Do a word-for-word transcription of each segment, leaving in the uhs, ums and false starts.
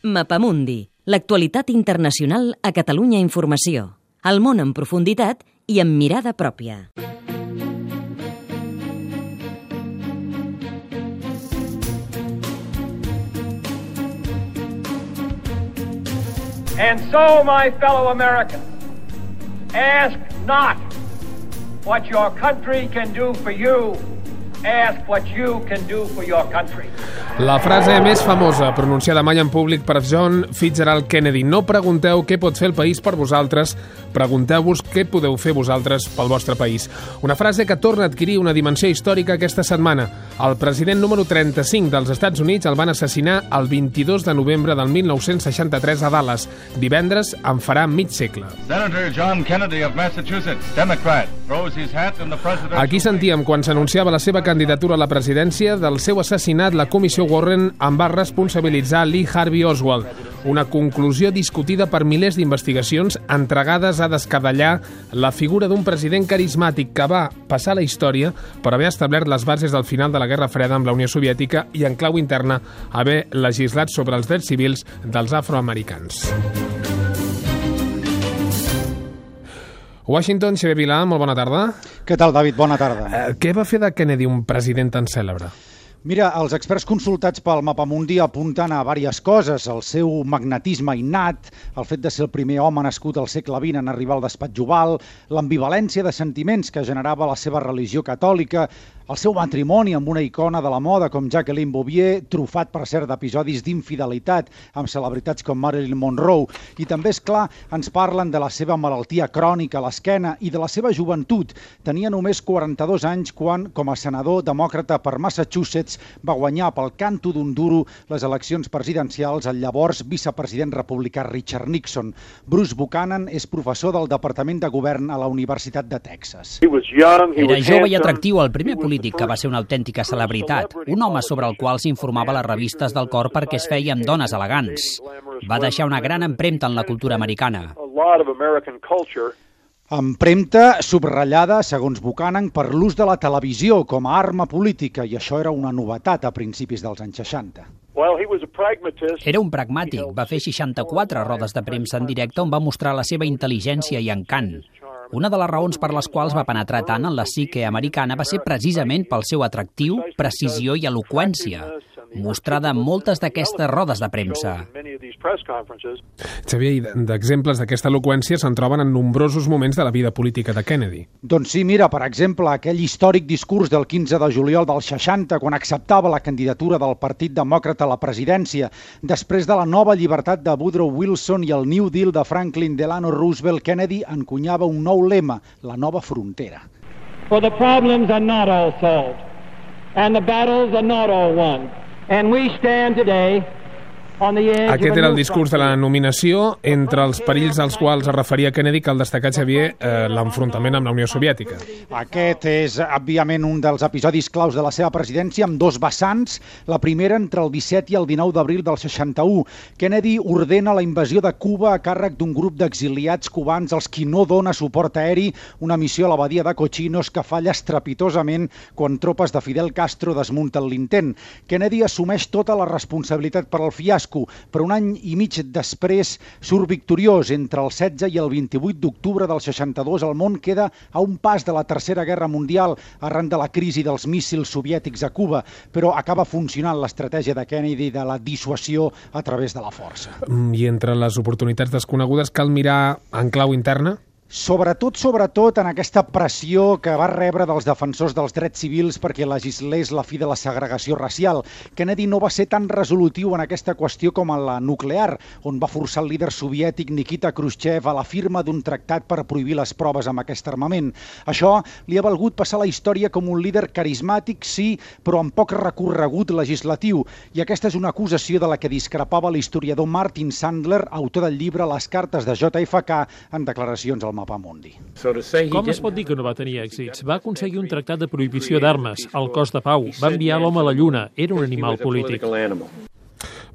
Mapamundi, l'actualitat internacional a Catalunya Informació. El món en profunditat i amb mirada pròpia. And so, my fellow Americans, ask not what your country can do for you, ask what you can do for your country. La frase més famosa pronunciada mai en públic per John Fitzgerald Kennedy: no pregunteu què pot fer el país per vosaltres, pregunteu-vos què podeu fer vosaltres pel vostre país. Una frase que torna a adquirir una dimensió històrica aquesta setmana. El president número trenta-cinc dels Estats Units el van assassinar el vint-i-dos de novembre del mil nou-cents seixanta-tres a Dallas. Divendres en farà mig segle. Senator John Kennedy of Massachusetts, Democrat, throws his hat in the presidential... Aquí sentíem, quan s'anunciava la seva candidatura a la presidència, del seu assassinat la comissió Warren en va responsabilitzar Lee Harvey Oswald. Una conclusió discutida per milers d'investigacions entregades a descadellar la figura d'un president carismàtic que va passar a la història per haver establert les bases del final de la Guerra Freda amb la Unió Soviètica i en clau interna haver legislat sobre els drets civils dels afroamericans. Washington, Xavier Vilà, molt bona tarda. Què tal, David? Bona tarda. Eh, què va fer de Kennedy un president tan cèlebre? Mira, els experts consultats pel Mapamundi apunten a diverses coses: el seu magnetisme innat, el fet de ser el primer home nascut al segle vint en arribar al despatx oval, l'ambivalència de sentiments que generava la seva religió catòlica, el seu matrimoni amb una icona de la moda com Jacqueline Bouvier, trufat per cert d'episodis d'infidelitat amb celebritats com Marilyn Monroe, i també, és clar, ens parlen de la seva malaltia crònica a l'esquena i de la seva joventut. Tenia només quaranta-dos anys quan, com a senador demòcrata per Massachusetts, va guanyar pel canto d'un duro les eleccions presidencials al llavors vicepresident republicà Richard Nixon. Bruce Buchanan és professor del Departament de Govern a la Universitat de Texas. Era jove i atractiu, el primer polític que va ser una autèntica celebritat, un home sobre el qual s'informava a les revistes del cor perquè es feia amb dones elegants. Va deixar una gran empremta en la cultura americana. Empremta subratllada, segons Buchanan, per l'ús de la televisió com a arma política, i això era una novetat a principis dels anys seixanta. Era un pragmàtic, va fer seixanta-quatre rodes de premsa en directe on va mostrar la seva intel·ligència i encant. Una de les raons per les quals va penetrar tant en la psique americana va ser precisament pel seu atractiu, precisió i eloqüència, mostrada en moltes d'aquestes rodes de premsa. Xavier, d'exemples d'aquesta eloqüència se'n troben en nombrosos moments de la vida política de Kennedy. Doncs sí, mira, per exemple, aquell històric discurs del quinze de juliol del seixanta, quan acceptava la candidatura del Partit Demòcrata a la presidència. Després de la nova llibertat de Woodrow Wilson i el New Deal de Franklin Delano Roosevelt, Kennedy encunyava un nou lema: la nova frontera. For the problems are not all solved, and the battles are not all won. And we stand today on the edge. Aquest era el discurs de la nominació, entre els perills als quals es referia Kennedy, que el destacat, Xavier, eh, l'enfrontament amb la Unió Soviètica. Aquest és, òbviament, un dels episodis claus de la seva presidència, amb dos vessants. La primera entre el disset i el dinou d'abril del seixanta-u. Kennedy ordena la invasió de Cuba a càrrec d'un grup d'exiliats cubans als qui no dona suport aeri, una missió a la badia de Cochinos que falla estrepitosament quan tropes de Fidel Castro desmunten l'intent. Kennedy assumeix tota la responsabilitat per al fiasco, però un any i mig després surt victoriós. Entre el setze i el vint-i-vuit d'octubre del seixanta-dos el món queda a un pas de la Tercera Guerra Mundial arran de la crisi dels míssils soviètics a Cuba, però acaba funcionant l'estratègia de Kennedy de la dissuasió a través de la força. I entre les oportunitats desconegudes cal mirar en clau interna? Sobretot, sobretot en aquesta pressió que va rebre dels defensors dels drets civils perquè legislés la fi de la segregació racial. Kennedy no va ser tan resolutiu en aquesta qüestió com en la nuclear, on va forçar el líder soviètic Nikita Khrushchev a la firma d'un tractat per prohibir les proves amb aquest armament. Això li ha valgut passar a la història com un líder carismàtic, sí, però amb poc recorregut legislatiu. I aquesta és una acusació de la que discrepava l'historiador Martin Sandler, autor del llibre Les cartes de J F K, en declaracions al Mapamundi. Com es pot dir que no va tenir èxits? Va aconseguir un tractat de prohibició d'armes, el cos de pau, va enviar l'home a la Lluna, era un animal polític.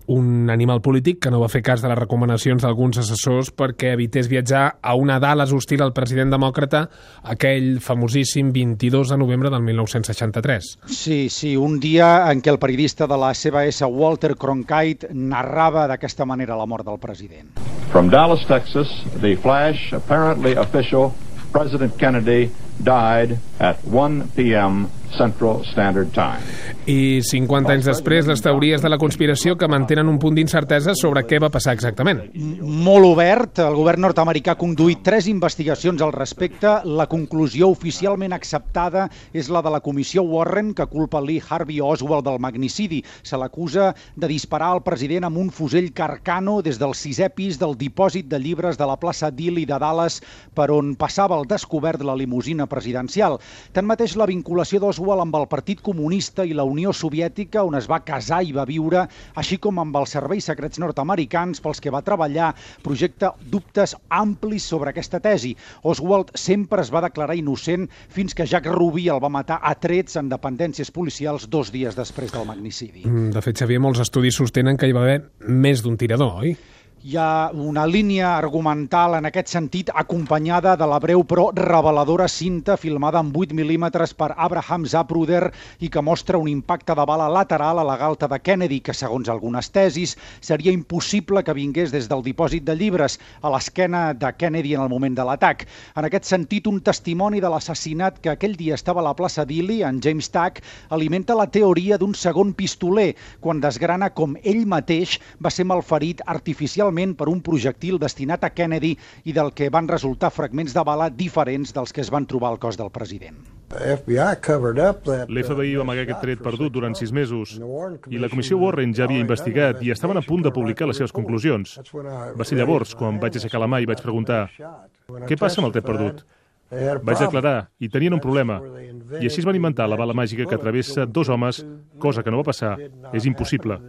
un animal polític que no va fer cas de les recomanacions d'alguns assessors perquè evités viatjar a una Dallas hostil al president demòcrata aquell famosíssim vint-i-dos de novembre del mil nou-cents seixanta-tres. Sí, sí, un dia en què el periodista de la C B S, Walter Cronkite, narrava d'aquesta manera la mort del president. From Dallas, Texas, the flash, apparently official, President Kennedy died at one p m Central Standard Time. I cinquanta anys després, les teories de la conspiració que mantenen un punt d'incertesa sobre què va passar exactament. Molt obert, el govern nord-americà ha conduït tres investigacions al respecte. La conclusió oficialment acceptada és la de la comissió Warren, que culpa Lee Harvey Oswald del magnicidi. Se l'acusa de disparar al president amb un fusell Carcano des del sisè pis del dipòsit de llibres de la plaça Dilley de Dallas, per on passava al descobert la limusina presidencial. Tanmateix, la vinculació d'Oswald amb el Partit Comunista i la Unió Soviètica, on es va casar i va viure, així com amb els serveis secrets nord-americans pels que va treballar, projecta dubtes amplis sobre aquesta tesi. Oswald sempre es va declarar innocent fins que Jack Ruby el va matar a trets en dependències policials dos dies després del magnicidi. De fet, Xavier, molts estudis sostenen que hi va haver més d'un tirador, oi? Hi ha una línia argumental en aquest sentit acompanyada de la breu però reveladora cinta filmada en vuit mil·límetres per Abraham Zapruder i que mostra un impacte de bala lateral a la galta de Kennedy que, segons algunes tesis, seria impossible que vingués des del dipòsit de llibres a l'esquena de Kennedy en el moment de l'atac. En aquest sentit, un testimoni de l'assassinat que aquell dia estava a la plaça Dilley, en James Tack, alimenta la teoria d'un segon pistoler quan desgrana com ell mateix va ser malferit artificialment per un projectil destinat a Kennedy i del que van resultar fragments de bala diferents dels que es van trobar al cos del president. L'F B I va amagar aquest tret perdut durant sis mesos i la comissió Warren ja havia investigat i estaven a punt de publicar les seves conclusions. Va ser llavors quan vaig aixecar la mà i vaig preguntar «Què passa amb el tret perdut?» Vaig declarar, i tenien un problema, i així es van inventar la bala màgica que travessa dos homes, cosa que no va passar, és impossible.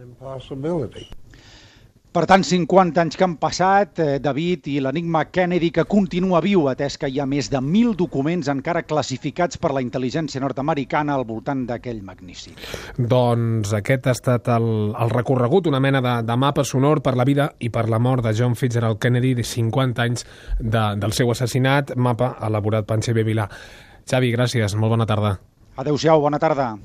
Per tant, cinquanta anys que han passat, eh, David, i l'enigma Kennedy que continua viu, atès que hi ha més de mil documents encara classificats per la intel·ligència nord-americana al voltant d'aquell magnífic. Doncs aquest ha estat el, el recorregut, una mena de, de mapa sonor per la vida i per la mort de John Fitzgerald Kennedy, de cinquanta anys de, del seu assassinat, mapa elaborat per Xavier Vilà. Xavi, gràcies, molt bona tarda. Adéu-siau, bona tarda.